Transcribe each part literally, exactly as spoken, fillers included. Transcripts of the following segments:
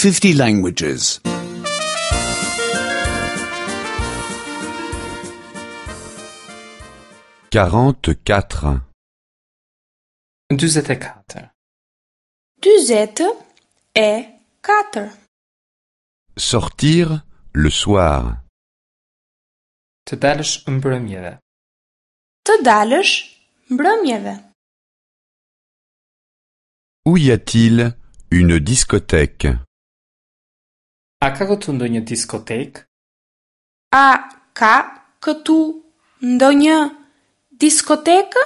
fifty languages. Quarante-quatre. Dyzet e katër. Dyzet e katër. Sortir le soir. Të dalësh mbrëmjeve. Të dalësh mbrëmjeve. Où y a-t-il une discothèque? A ka këtu ndonjë diskotekë? A ka këtu ndonjë diskotekë?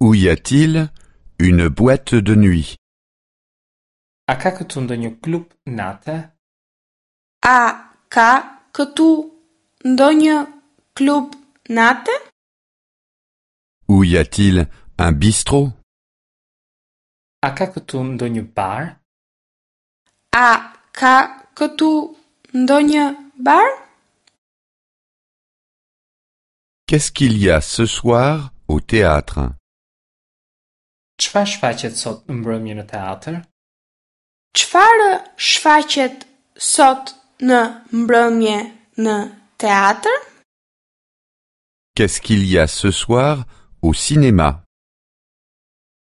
Où y a-t-il une boîte de nuit? A ka këtu ndonjë klub nate? A ka këtu ndonjë klub nate? Où y a-t-il un bistrot? A ka këtu ndonjë bar? A ka këtu ndonjë bar? Qu'est-ce qu'il y a ce soir au théâtre? Çfarë shfaqet sot në mbrëmje në teatr? Çfarë shfaqet sot në mbrëmje në teatr? Qu'est-ce qu'il y a ce soir au cinéma?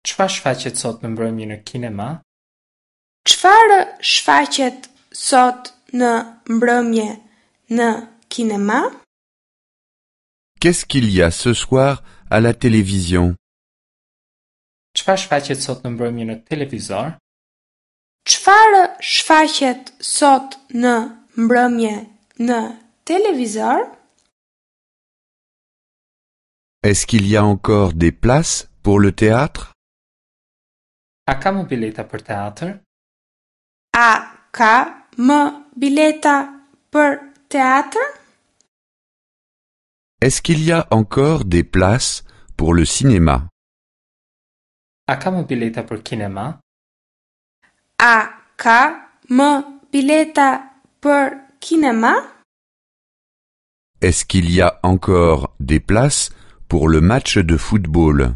Çfarë shfaqet sot në mbrëmje në kinema? Çfarë shfaqet sot në mbrëmje në kinema? Qu'est-ce qu'il y a ce soir à la télévision? Çfarë shfaqet sot në mbrëmje në televizor? Çfarë shfaqet sot në mbrëmje në televizor? Est-ce qu'il y a encore des places pour le théâtre? A ka më bileta për teatr? A ka më bileta për teatr? Est-ce qu'il y a encore des places pour le cinéma? A ka më bileta për kinema? A ka më bileta për kinema? Est-ce qu'il y a encore des places pour le match de football?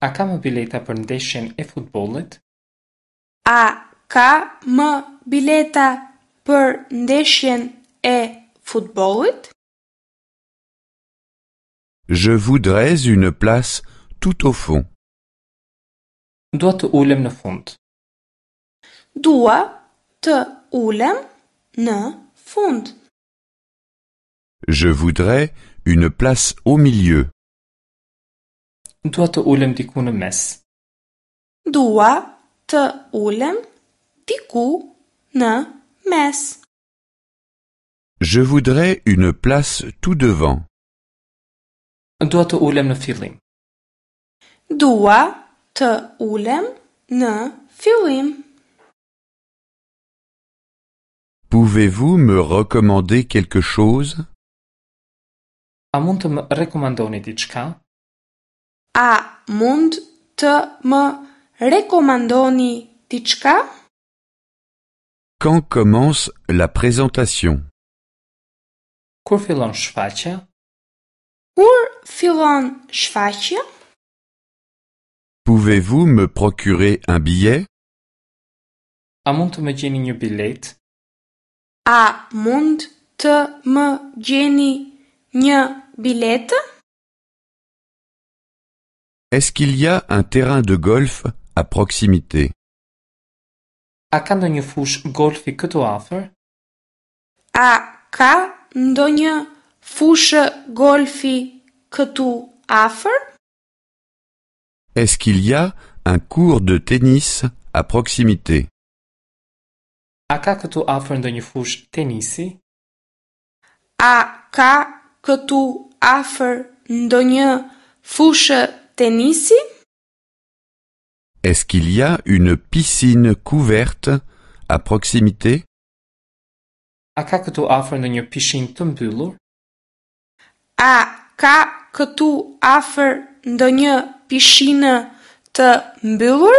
A ka më bileta për ndeshjen e futbollit? A ka më bileta për ndeshjen e futbollit? Je voudrais une place tout au fond. Dua të ulem në fund. Dua të ulem në fund. Je voudrais une place au milieu. Dua të ulem diku në mes. Dua të ulem diku në mes. Je voudrais une place tout devant. Dua të ulem në fillim. Dua të ulem në fillim. Pouvez-vous me recommander quelque chose? A mund të më rekomandoni diçka? A mund të më rekomandoni diçka? Quand commence la présentation? Kur fillon shfaqja? Kur fillon shfaqja? Pouvez-vous me procurer un billet? A mund të më gjeni një bilet? A mund të më gjeni një biletë? Est-ce qu'il y a un terrain de golf à proximité? A ka ndonjë fushë golfi këtu afër? A ka ndonjë fushë golfi këtu afër? Est-ce qu'il y a un court de tennis à proximité? A ka këtu afër ndonjë fushë tenisi? A ka këtu afër ndonjë fushë tenisi? Est-ce qu'il y a une piscine couverte à proximité? A ka këtu afër ndonjë pishinë të mbyllur? A ka këtu afër ndonjë pishinë të mbyllur?